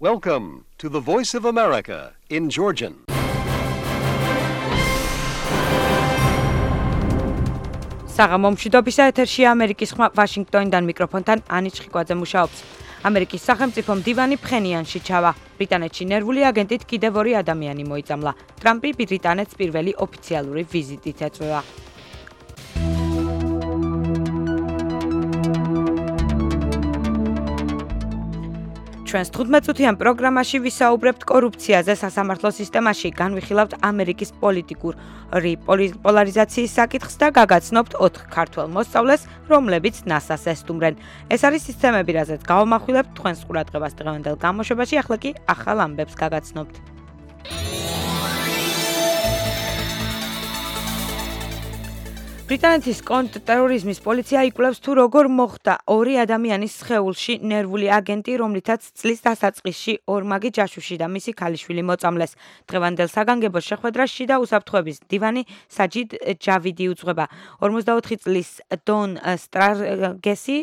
Welcome to the Voice of America in Georgian. საღამომშვიდობისა ეთერშია ამერიკის ხმა ვაშინგტონიდან მიკროფონთან ანი ჩხიკვაძე მუშაობს. ამერიკის სახელმწიფო მდივანი ფხენიანში ჩავა. ბრიტანეთში ნერვული აგენტით კიდევ 2 ადამიანი მოიწამლა. ტრამპი ბრიტანეთს პირველი ოფიციალური ვიზიტით ეწვევა. ჩვენს 15-წუთიან პროგრამაში ვისაუბრებთ კორუფციაზე სასამართლო სისტემაში, განვიხილავთ ამერიკის პოლიტიკური პოლარიზაციის საკითხს და გაგაცნობთ 4 ქართველ მოსწავლეს, რომლებიც NASA-ს ესტუმრენ. ეს არის სისტემები, რაზეც გავამახვილებთ თქვენს ყურადღებას დღევანდელ გამოშვებაში, ახლა კი ახალ ამბებს გაგაცნობთ. ბრიტანეთის კონტრტერორიზმის პოლიცია იკვლევს თუ როგორ მოხდა 2 ადამიანის სხეულში ნერვული აგენტი, რომლითაც წლის დასაწყისში ორმაგი ჯაშუში და მისი ქალიშვილი მოწამლეს. დღევანდელ საგანგებო შეხვედრას შიდა უსაფრთხოების მდივანი საჯიდ ჯავიდი უძღვება. 44 წლის დონ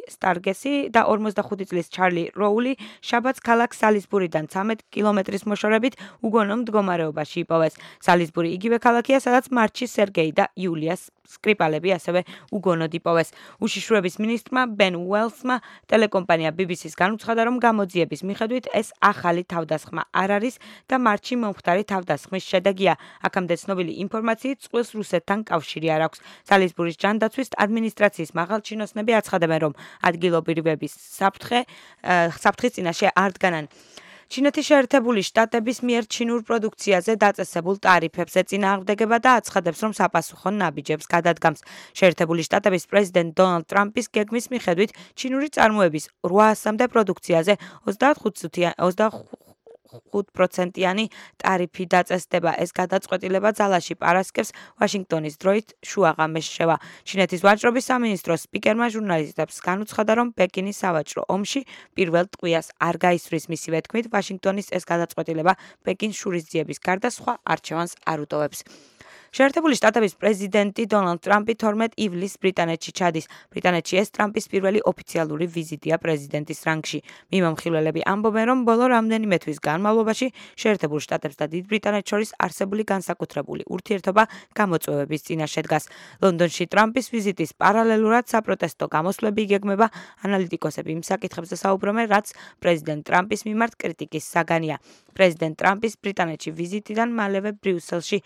სტარგესი და 45 წლის ჩარლი როული შაბათს ქალაქ სალისბურიდან 13 კილომეტრის მოშორებით უგონო მდგომარეობაში იპოვეს. სალისბური იგივე ქალაქია, სადაც მარტში სერგეი და იულიას სკრიპალები ასევე უგონოდ იპოვეს. უშიშროების მინისტრმა ბენ უელსმა ტელეკომპანია BBC-ს განუცხადა, რომ გამოძიების მიხედვით ეს ახალი თავდასხმა არ არის და მარტში მომხდარი თავდასხმის შედეგია. აქამდე ცნობილი ინფორმაციით წყვილს რუსეთთან კავშირი არ აქვს. სალისბურის ჯანდაცვის ადმინისტრაციის მაღალჩინოსნები აცხადებენ, რომ ადგილობრივების საფრთხის წინაშე არ დგანან. ჩინეთის შეერთებული შტატების მიერ ჩინურ პროდუქციაზე დაწესებულ ტარიფებს ეწინააღმდეგება და აცხადებს, რომ sapasukho ნაბიჯებს გადადგამს. შეერთებული შტატების პრეზიდენტ დონალდ ტრამპის გეგმის მიხედვით ჩინური წარმოების 800-მდე პროდუქციაზე 25%-იანი ტარიფი დაწესდება. ეს გადაწყვეტილება ძალაში პარასკევს ვაშინგტონის დროით შუაღამეს შევა. ჩინეთის ვაჭრობის სამინისტროს სპიკერმა ჟურნალისტებს განუცხადა, რომ პეკინის სავაჭრო ომში პირველ ტყვიას არ გაისვრის. მისივე თქმით, ვაშინგტონის ეს გადაწყვეტილება პეკინს შურისძიების გარდა სხვა არჩევანს არ უტოვებს. შეერთებული შტატების პრეზიდენტი დონალდ ტრამპი 12 ივლისს ბრიტანეთში ჩადის. ბრიტანეთში ეს ტრამპის პირველი ოფიციალური ვიზიტია პრეზიდენტის რანგში. მიმომხილველები ამბობენ, რომ ბოლო რამდენიმე თვის განმავლობაში შეერთებულ შტატებს და დიდ ბრიტანეთს შორის არსებული განსაკუთრებული ურთიერთობა გამოწვევების წინაშე დგას. ლონდონში ტრამპის ვიზიტის პარალელურად საპროტესტო გამოსვლები იგეგმება. ანალიტიკოსები იმ საკითხებზე საუბრობენ, რაც პრეზიდენტ ტრამპის მიმართ კრიტიკის საგანია. პრეზიდენტ ტრამპის ბრიტანეთში ვიზიტიდან მალევე ბრიუსელში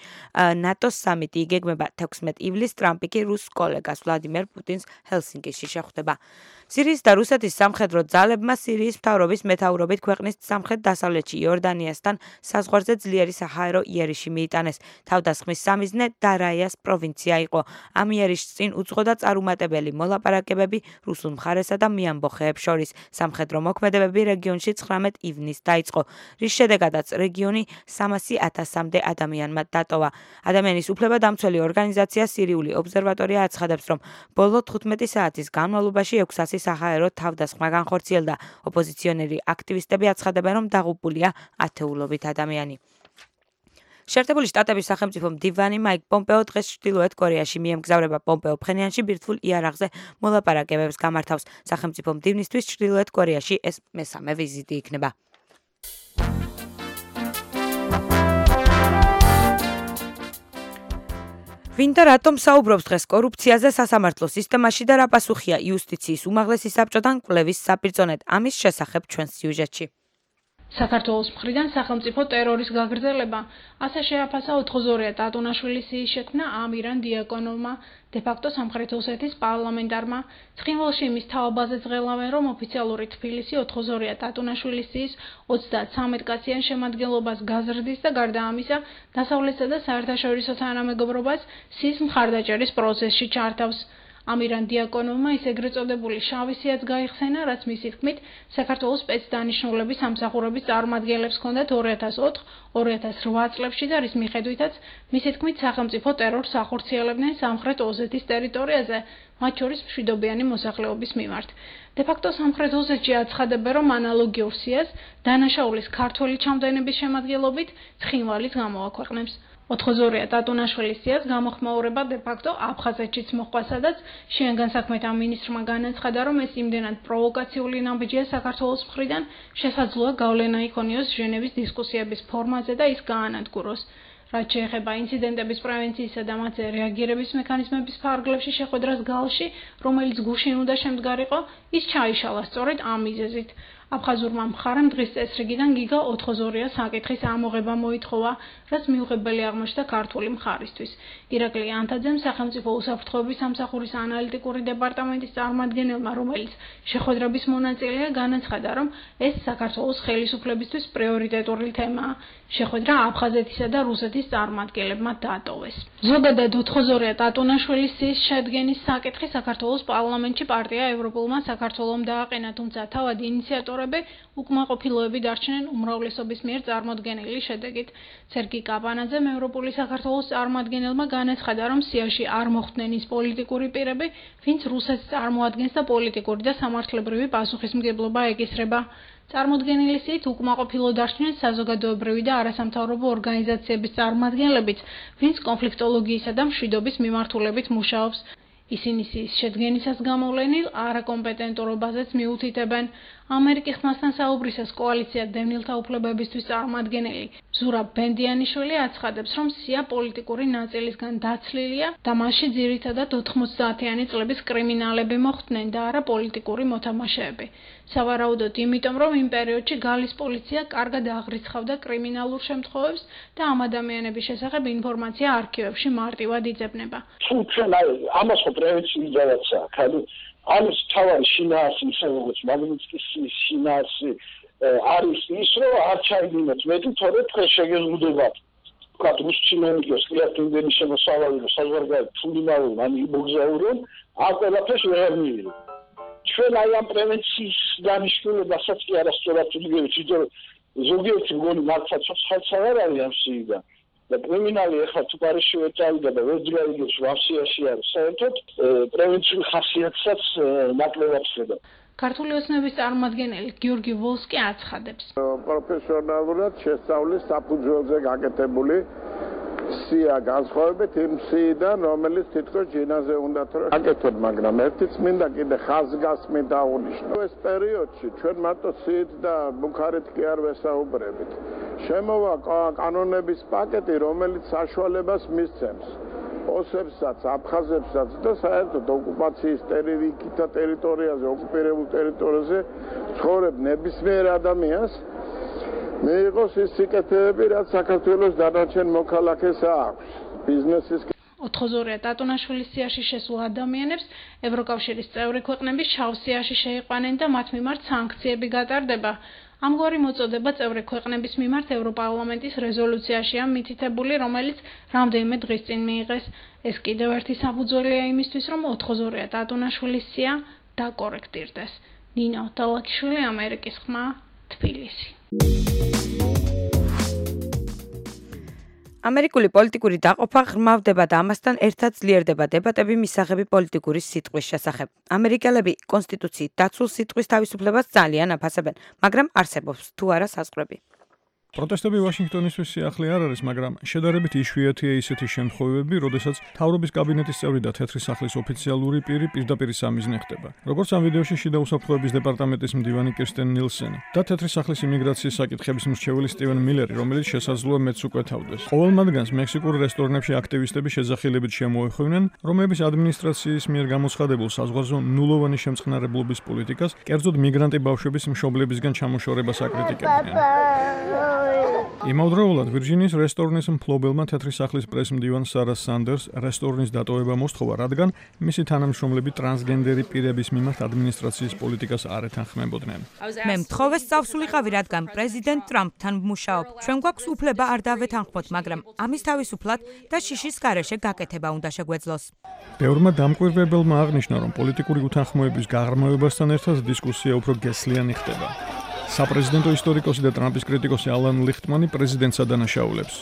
ნატოს სამიტი იგეგმება. 16 ივლისს ტრამპი კი რუს კოლეგას ვლადიმერ პუტინს ჰელსინკიში შეხვდება. სირიის და რუსეთის სამხედრო ძალებმა სირიის მთავრობის მეთაურობით ქვეყნის სამხრეთ-დასავლეთში იორდანიასთან საზღვარზე ძლიერი საჰაერო იერიში მიიტანეს. თავდასხმის სამიზნე დარაიას პროვინცია იყო. ამ იერიშს წინ უძღოდა წარუმატებელი მოლაპარაკებები რუსულ მხარესა და მიამბოხეებს შორის. სამხედრო მოქმედებები რეგიონში 19 ივნისს დაიწყო, რის შედეგადაც რეგიონი 300,000-მდე ადამიანმა დატოვა. ადამიანის უფლებადამცველი ორგანიზაცია სირიული ობსერვატორია აცხადებს, რომ ბოლო 15 საათის განმავლობაში 600 საჰაერო თავდასხმა განხორციელდა. ოპოზიციონერი აქტივისტები აცხადებენ, რომ დაღუპულია ათეულობით ადამიანი. შეერთებული შტატების სახელმწიფო მდივანი მაიკ პომპეო დღეს ჩრდილოეთ კორეაში მიემგზავრება. პომპეო ფხენიანში ბირთვულ იარაღზე მოლაპარაკებებს გამართავს. სახელმწიფო მდივნისთვის ჩრდილოეთ კორეაში ეს მესამე ვიზიტი იქნება. ვინ და რატომ საუბრობს დღეს კორუფციაზე სასამართლო სისტემაში და რა პასუხია იუსტიციის უმაღლესი საბჭოდან კვლევის საპირწონედ? ამის შესახებ ჩვენს სიუჟეტში. საქართველოს მხრიდან სახელმწიფო ტერორის გაგრძელება ასე შეაფასა 82 ტატუნაშვილის შექმნა ამირან დიაკონოვმა, დე-ფაქტო სამხრეთ ოსეთის პარლამენტარმა. ცხინვალში იმის თაობაზე ზღელავენ, რომ ოფიციალური თბილისი 82 ტატუნაშვილის 33 კაციან შემადგენლობას გაზრდის და გარდა ამისა დასავლეთსა და საერთაშორისო თანამეგობრობას სის მხარდაჭერის პროცესში ჩართავს. ამირან დიაკონოვმა ის ეგრეთ წოდებული შავი სიაც გაიხსენა, რაც მისი თქმით საქართველოს სპეცდანიშნულების სამსახურების წარმომადგენლებს ჰქონდათ 2000-2008 წლებში და რის მიხედვითაც მისი თქმით სახელმწიფო ტერორს ახორციელებდნენ სამხრეთ ოსეთის ტერიტორიაზე, მათ შორის მშვიდობიანი მოსახლეობის მიმართ. დე-ფაქტო სამხრეთ ოსეთში აცხადებენ, რომ ანალოგიურ სიას დანაშაულის ქართველი ჩამდგენების შემადგენლობით ცხინვალის გამოაქვეყნებს. ოთხოზორია ტატუნაშვილის სიას გამოხმაურება დე-ფაქტო აფხაზეთშიც მოჰყვა, სადაც შინაგან საქმეთა მინისტრმა განაცხადა, რომ ეს იმდენად პროვოკაციული ნაბიჯია საქართველოს მხრიდან, შესაძლოა გავლენა იქონიოს ჟენევის დისკუსიების ფორმაზე და ის გაანადგუროს. რაც შეეხება ინციდენტების პრევენციისა და მათზე რეაგირების მექანიზმების ფარგლებში შეხვედრას გალში, რომელიც გუშინ უნდა შემდგარიყო, ის ჩაიშალა სწორედ ამ მიზეზით. აფხაზურმა მხარემ დღის წესრიგიდან გიგა ოთხოზორიას საკითხის ამოღება მოითხოვა, რაც მიუღებელი აღმოჩნდა ქართული მხარისთვის. ირაკლი ანთაძემ სახელმწიფო უსაფრთხოების სამსახურის ანალიტიკური დეპარტამენტის წარმომადგენელმა, რომელიც შეხვედრების მონაწილეა, განაცხადა, რომ ეს საქართველოს ხელისუფლებისთვის პრიორიტეტული თემაა. შეხვედრა აფხაზეთისა და რუსეთის წარმომადგენლებმა დაატოვეს. ზოგადად ოთხოზორია ტატუნაშვილის სიის შედგენის საკითხი საქართველოს პარლამენტში პარტია ევროპულმა საქართველომ დააყენა, თუმცა თავად ინიციატორები უკმაყოფილოები დარჩნენ უმრავლესობის მიერ წარმოდგენილი შედეგით. სერგი კაპანაძემ ევროპული საქართველოს წარმომადგენელმა განაცხადა, რომ სიაში არ მოხვდნენ ის პოლიტიკური პირები, ვინც რუსეთს წარმოადგენს და პოლიტიკური და სამართლებრივი პასუხისმგებლობა ეკისრება. წარმოდგენილი სიით უკმაყოფილო დარჩნენ საზოგადოებრივი და არასამთავრობო ორგანიზაციების წარმომადგენლებიც, ვინც კონფლიქტოლოგიისა და მშვიდობის მიმართულებით მუშაობს. ისინი სიის შედგენისას გამოვლენილ არაკომპეტენტურობაზეც მიუთითებენ. ამერიკის ხმასთან საუბრისას კოალიცია დევნილთა უფლებებისთვის წარმომადგენელი ზურაბ ბენდიანიშვილი აცხადებს, რომ სია პოლიტიკური ნაწილისგან დაცლილია და მასში ძირითადად 90-იანი წლების კრიმინალები მოხვდნენ და არა პოლიტიკური მოთამაშეები. სავარაუდოდ იმიტომ, რომ იმ პერიოდში გალის პოლიცია კარგად აღრიცხავდა კრიმინალურ შემთხვევებს და ამ ადამიანების შესახებ ინფორმაცია არქივებში მარტივად იძებნება. თუ ჩვენ ამას ხო პრევენციის ძალაცა, ამის თავარი შინაარსი, ისე როგორც მაგნიტსკის შინაარსი არის ის, რომ არ ჩაიდინოთ მეტი, თორე დღეს შეგეზღუდებათ. ვთქვათ, რუს ჩინოვნიკებს კლიენტების შემოსავალი და საზღვარგარეთ ფული მოვიდნენ, ან იმოგზაურონ, ამ ყველაფერს ვერ მიიღო. ჩვენ აი ამ პრევენციის დანიშნულებასაც კი არასწორად ვდგებით, იმიტომ რომ ზოგიერთი მგონი მართლაც ხალხს არ არის ამ სიიდან. და კრიმინალი ახლა თუ პარიზში წავიდა და ვერ ძლიერ ვარსიაში არის, საერთოდ პრევენციული ხასიათსაც ნაკლებად ხედა. ქართული ოცნების წარმომადგენელი გიორგი ვოლსკი აცხადებს. პროფესიონალურად შესწავლის საფუძველზე გაკეთებული სია განსხვავებით იმ სიიდან, რომელიც თითქოს ჯინაზე უნდათ რომ აკეთოთ, მაგრამ ერთიც მინდა კიდე ხაზგასმით დაუნიშნო. ეს პერიოდში ჩვენ მარტო სიით და ბუქარით კი არ ვესაუბრებით. შემოვა კანონების პაკეტი, რომელიც საშუალებას მისცემს ოსებსაც, აფხაზებსაც და საერთოდ ოკუპაციის ტერიტორიაზე, ოკუპირებულ ტერიტორიაზე ცხოვრებ ნებისმიერ ადამიანს მიიღოს ის სიკეთეები, რაც საქართველოს დანარჩენ მოქალაქეს აქვს. ბიზნესის ოთხოზორია ტატუნაშვილის სიაში შესულ ადამიანებს ევროკავშირის წევრი ქვეყნები შავ სიაში შეიყვანენ და მათ მიმართ სანქციები გატარდება. ამგვარი მოწოდება წევრი ქვეყნების მიმართ ევროპარლამენტის რეზოლუციაშია მითითებული, რომელიც რამდენიმე დღის წინ მიიღეს. ეს კიდევ ერთი საფუძველია იმისთვის, რომ ოთხოზორია ტატუნაშვილის სია დაკორექტირდეს. ნინო დალაკიშვილი, ამერიკის ხმა, თბილისი. ამერიკული პოლიტიკური დაყოფა ღრმავდება და ამასთან ერთად ძლიერდება დებატები მისაღები პოლიტიკური სიტყვის შესახებ. ამერიკელები კონსტიტუციით დაცულ სიტყვის თავისუფლებას ძალიან აფასებენ, მაგრამ არსებობს თუ არა საზღვრები. პროტესტები ვაშინგტონისთვის სიახლე არ არის, მაგრამ შედარებით იშვიათია ისეთი შემთხვევები, როდესაც მთავრობის კაბინეტის წევრი და თეთრი სახლის ოფიციალური პირი პირდაპირ სამიზნე ხდება. როგორც ამ ვიდეოში შიდა უსაფრთხოების დეპარტამენტის მდივანი კირსტენ ნილსენი და თეთრი სახლის იმიგრაციის საკითხების მრჩეველი სტივენ მილერი, რომელიც შესაძლოა მეც უკვეთავდეს. ყოველ მათგანს მექსიკურ რესტორნებში აქტივისტები შეძახილებით შემოეხვევნენ, რომლების ადმინისტრაციის მიერ გამოცხადებულ საზღვარზე ნულოვანი შემწყნარებლობის პოლიტიკას, კერძოდ მიგრანტი ბავშვების მშობლებისგან ჩამოშორებას აკრიტიკებდნენ. იმავდროულად ვირჯინიის რესტორნის მფლობელმა თეთრი სახლის პრესმდივან სარა სანდერს რესტორნის დატოვება მოსთხოვა, რადგან მისი თანამშრომლები ტრანსგენდერი პირების მიმართ ადმინისტრაციის პოლიტიკას არ ეთანხმებოდნენ. მე მთხოვე სწავსულიყავი, რადგან პრეზიდენტ ტრამპთან ვმუშაობ. ჩვენ გვაქვს უფლება არ დავეთანხმოთ, მაგრამ ამის თავისუფლად და შიშის გარეშე გაკეთება უნდა შეგვეძლოს. ბევრმა დამკვირვებელმა აღნიშნა, რომ პოლიტიკური უთანხმოების გაღრმავებასთან ერთად დისკუსია უფრო გესლიანი ხდება. საპრეზიდენტო ისტორიკოსი და ტრამპის კრიტიკოსი ალან ლიხტმანი პრეზიდენტს ადანაშაულებს.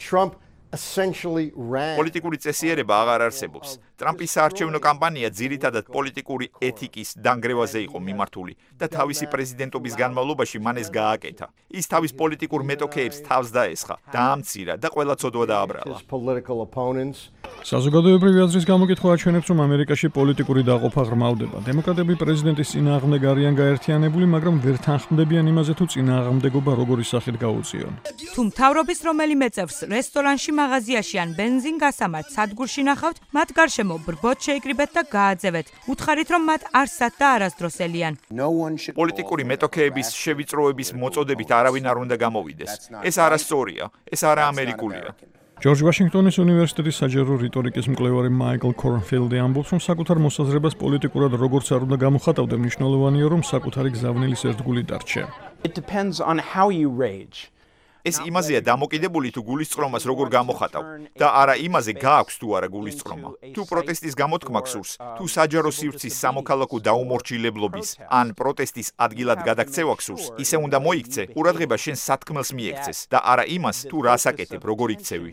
Trump პოლიტიკური წესიერება აღარ არსებობს. ტრამპის საარჩევნო კამპანია ძირითადად პოლიტიკური ეთიკის დანგრევაზე იყო მიმართული და თავისი პრეზიდენტობის განმავლობაში მან ეს გააკეთა. ის თავის პოლიტიკურ მეტოქეებს თავს დაესხა, დაამცირა და ყველა ცოდვა დააბრალა. საზოგადოებრივი აზრის გამოკითხვა აჩვენებს, რომ ამერიკაში პოლიტიკური დაყოფა ღრმავდება. დემოკრატები პრეზიდენტის წინააღმდეგ არიან გაერთიანებული, მაგრამ ვერ თანხმდებიან იმაზე, თუ წინააღმდეგობა როგორი სახით გაუწიონ. თუ მთავრობის რომელიმე წევრს რესტორანში, მაღაზიაში ან ბენზინგასამართ სადგურში ნახავთ, მათ გარშემო ბრბოთ შეიკრიბეთ და გააძევეთ. უთხარით, რომ მათ არსად და არასდროს ელიან. პოლიტიკური მეტოქეების შევიწროების მოწოდებით არავინ არ უნდა გამოვიდეს. ეს არასწორია, ეს არაამერიკულია. ჯორჯ ვაშინგტონის უნივერსიტეტის საჯარო რიტორიკის მკვლევარი მაიკლ კორნფილდი ამბობს, რომ საკუთარ მოსაზრებას პოლიტიკურად როგორც არ უნდა გამოხატავდე, მნიშვნელოვანია, რომ საკუთარი გზავნილის ერთგული დარჩე. ეს იმაზეა დამოკიდებული, თუ გულისწყრომას როგორ გამოხატავ და არა იმაზე გააქვს თუ არა გულისწყრომა. თუ პროტესტის გამოთქმა გსურს, თუ საჯარო სივრცის სამოქალაქო დაუმორჩილებლობის ან პროტესტის ადგილად გადაქცევა გსურს, ისე უნდა მოიქცე, ყურადღება შენ სათქმელს მიექცეს და არა იმას, თუ რას აკეთებ, როგორ იქცევი.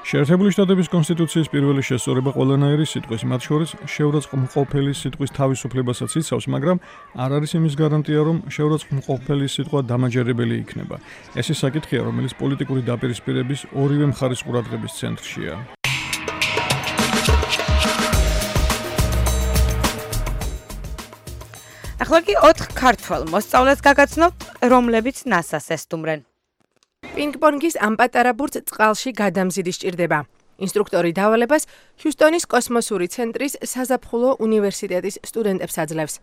შეერთებული შტატების კონსტიტუციის პირველი შესწორება ყველანაირი სიტყვის, მათ შორის შეურაცხმყოფელი სიტყვის თავისუფლებასაც იცავს, მაგრამ არ არის იმის გარანტია, რომ შეურაცხმყოფელი სიტყვა დამაჯერებელი იქნება. ეს ის საკითხია, რომელიც პოლიტიკური დაპირისპირების ორივე მხარის ყურადღების ცენტრშია. ახლა კი 4 ქართველ მოსწავლეს გაგაცნობთ, რომლებიც NASA-ს ესტუმრენ. პინგ-პონგის ამ პატარა ბურთს წყალში გადამზიდი სჭირდება. ინსტრუქტორი დავალებას ჰიუსტონის კოსმოსური ცენტრის საზაფხულო უნივერსიტეტის სტუდენტებს აძლევს.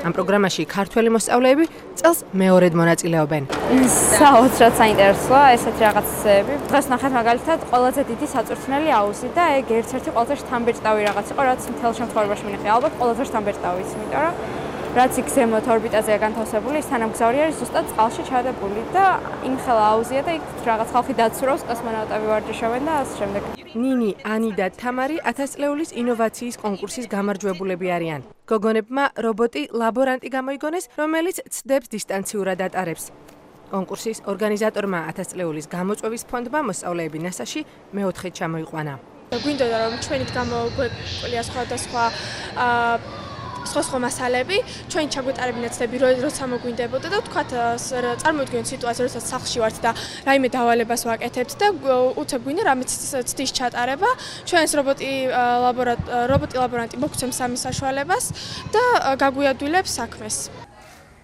ამ პროგრამაში ქართველი მოსწავლეები წელს მეორედ მონაწილეობენ. საოცრად საინტერესოა ესეთი რაღაცები. დღეს ნახეთ მაგალითად ყველაზე დიდი საწვრთნელი აუზი და ეგ ერთ-ერთი ყველაზე შთამბეჭდავი რაღაც იყო, რაც მთელ შემთხვევაში მინახე. ალბათ ყველაზე შთამბეჭდავი ის, იმიტომ რომ რაც იქ ზემოთ ორბიტაზეა განთავსებული, ის თანამგზავრი არის ზუსტად წყალში ჩადებული და იმხელა აუზია და იქ რაღაც ხალხი დაცურავს, კოსმონავტები ვარჯიშობენ და ასე შემდეგ. ნინი, ანი და თამარი 1000 წლეულის ინოვაციის კონკურსის გამარჯვებულები არიან. გოგონებმა რობოტი ლაბორანტი გამოიგონეს, რომელიც ცდებს დისტანციურად ატარებს. კონკურსის ორგანიზატორმა 1000 წლეულის გამოწვევის ფონდმა მოსწავლეები NASA-ში მეოთხედ ჩამოიყვანა. გვინდოდა რომ ჩვენით გამოგვეყოლია სხვადასხვა სხვა მასალები, ჩვენ ჩაგვეტარებინათ ცდები, როცა მოგვინდებოდა და ვთქვათ, წარმოვიდგინოთ სიტუაცია, როდესაც სახლში ვართ და რაიმე დავალებას ვაკეთებთ და უცებ გვინდა რამე ცდის ჩატარება, ჩვენს რობოტი ლაბორანტი მოგცემს ამის საშუალებას და გაგვიადვილებს საქმეს.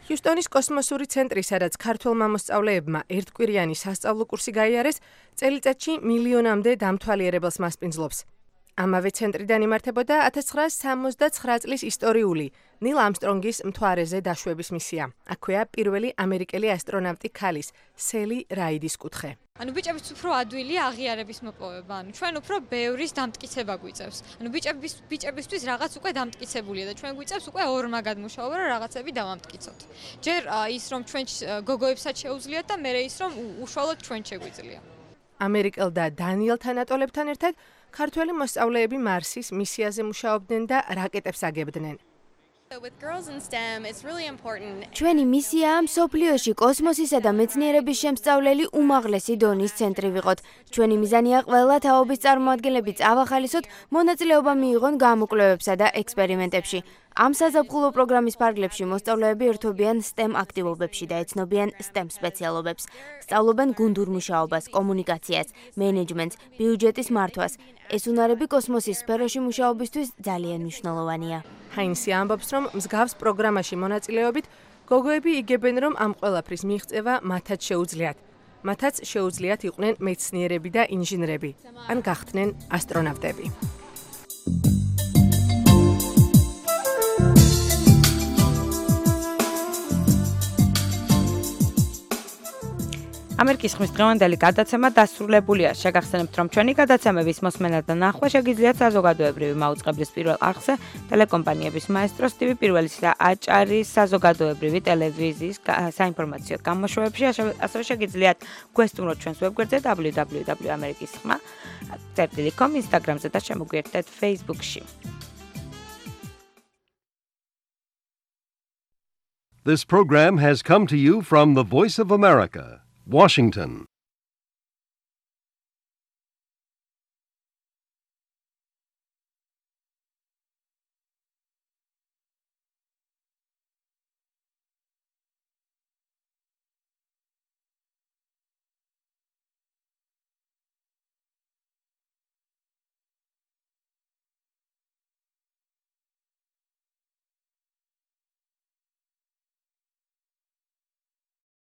ჰიუსტონის კოსმოსური ცენტრი, სადაც ქართველმა მოსწავლეებმა ერთკვირიანი სასწავლო კურსი გაიარეს, წელიწადში მილიონამდე დამთვალიერებელს მასპინძლობს. ამავე ცენტრიდან იმართებოდა 1969 წლის ისტორიული ნილ ამსტრონგის მთვარეზე დაშვების მისია. აქვეა პირველი ამერიკელი ასტრონავტი ქალის, სელი რაიდის კუთხე. ბიჭებიც უფრო ადვილია აღიარების მოპოვება. ჩვენ უფრო ბევრის დამტკიცება გვიწევს. ბიჭებისთვის რაღაც უკვე დამტკიცებულია და ჩვენ გვიწევს უკვე ორმაგად მუშაობა, რომ რაღაცები დავამტკიცოთ. ჯერ ის რომ ჩვენ გოგოებსაც შეუძლიათ და მერე ის რომ უშუალოდ ჩვენ შეგვიძლია. ამერიკელ და დანიელ თანატოლებთან ერთად ქართველი მოსწავლეები მარსის მისიაზე მუშაობდნენ და რაკეტებს აგებდნენ. ჩვენი მისიაა მსოფლიოში კოსმოსისა და მეცნიერების შემსწავლელი უმაღლესი დონის ცენტრი ვიყოთ. ჩვენი მიზანია ყველა თაობის წარმოადგენლები წავახალისოთ, მონაწილეობა მიიღონ გამოკვლევებსა და ექსპერიმენტებში. ამ საზაფხულო პროგრამის ფარგლებში მოსწავლეები ერთობიან STEM აქტივობებში და ეცნობიან STEM სპეციალობებს. სწავლობენ გუნდურ მუშაობას, კომუნიკაციას, მენეჯმენტს, ბიუჯეტის მართვას. ეს უნარები კოსმოსის სფეროში მუშაობისთვის ძალიან მნიშვნელოვანია. ჰაინსი ამბობს, რომ მსგავს პროგრამაში მონაწილეობით გოგოები იგებენ, რომ ამ ყველაფრის მიღწევა მათაც შეუძლიათ. მათაც შეუძლიათ იყვნენ მეცნიერები და ინჟინრები, ან გახდნენ ასტრონავტები. ამერიკის ხმის დღევანდელი გადაცემა დასრულებულია. შეგახსენებთ, რომ ჩვენი გადაცემების მოსმენა და ნახვა შეგიძლიათ საზოგადოებრივი მაუწყებლის პირველ არხზე, ტელეკომპანიების მაესტროს TV პირველის და აჭარის საზოგადოებრივი ტელევიზიის საინფორმაციო გამოშვებებში, ასევე შეგიძლიათ გვესტუმროთ ჩვენს ვებგვერდზე www.amerikisxma.com, Instagram-ზე და შემოგვიერთდეთ Facebook-ში. This program has come to you from the Voice of America, Washington.